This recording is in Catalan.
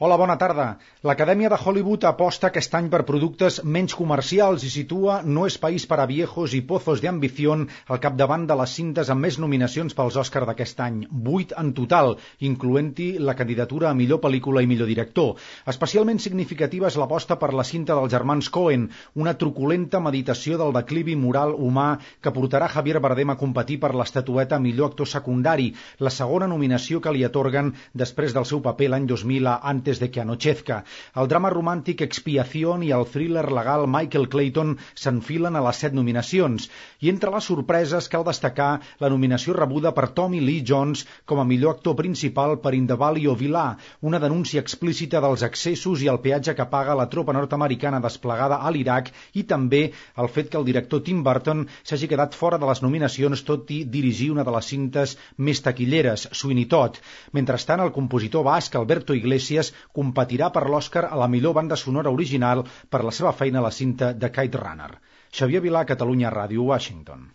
Hola, bona tarda. L'Acadèmia de Hollywood aposta aquest any per productes menys comercials i situa No es país para viejos i Pozos de ambición al capdavant de les cintes amb més nominacions pels Òscar d'aquest any, 8 en total, incloent-hi la candidatura a millor pel·lícula i millor director. Especialment significativa és l'aposta per la cinta dels germans Coen, una truculenta meditació del declivi moral humà que portarà Javier Bardem a competir per l'estatueta a millor actor secundari, la segona nominació que li atorguen després del seu paper l'any 2000 a Antes de que anochezca. El drama romàntic Expiación i el thriller legal Michael Clayton s'enfilen a les 7 nominacions. I entre les sorpreses cal destacar la nominació rebuda per Tommy Lee Jones com a millor actor principal per In the Valley of Elah, una denúncia explícita dels excessos i el peatge que paga la tropa nord-americana desplegada a l'Iraq, i també el fet que el director Tim Burton s'hagi quedat fora de les nominacions tot i dirigir una de les cintes més taquilleres, Sweeney Todd. Mentrestant, el compositor basc Alberto Iglesias competirà per l'Òscar a la millor banda sonora original per la seva feina a la cinta de Kite Runner. Xavier Vilà, Catalunya Ràdio, Washington.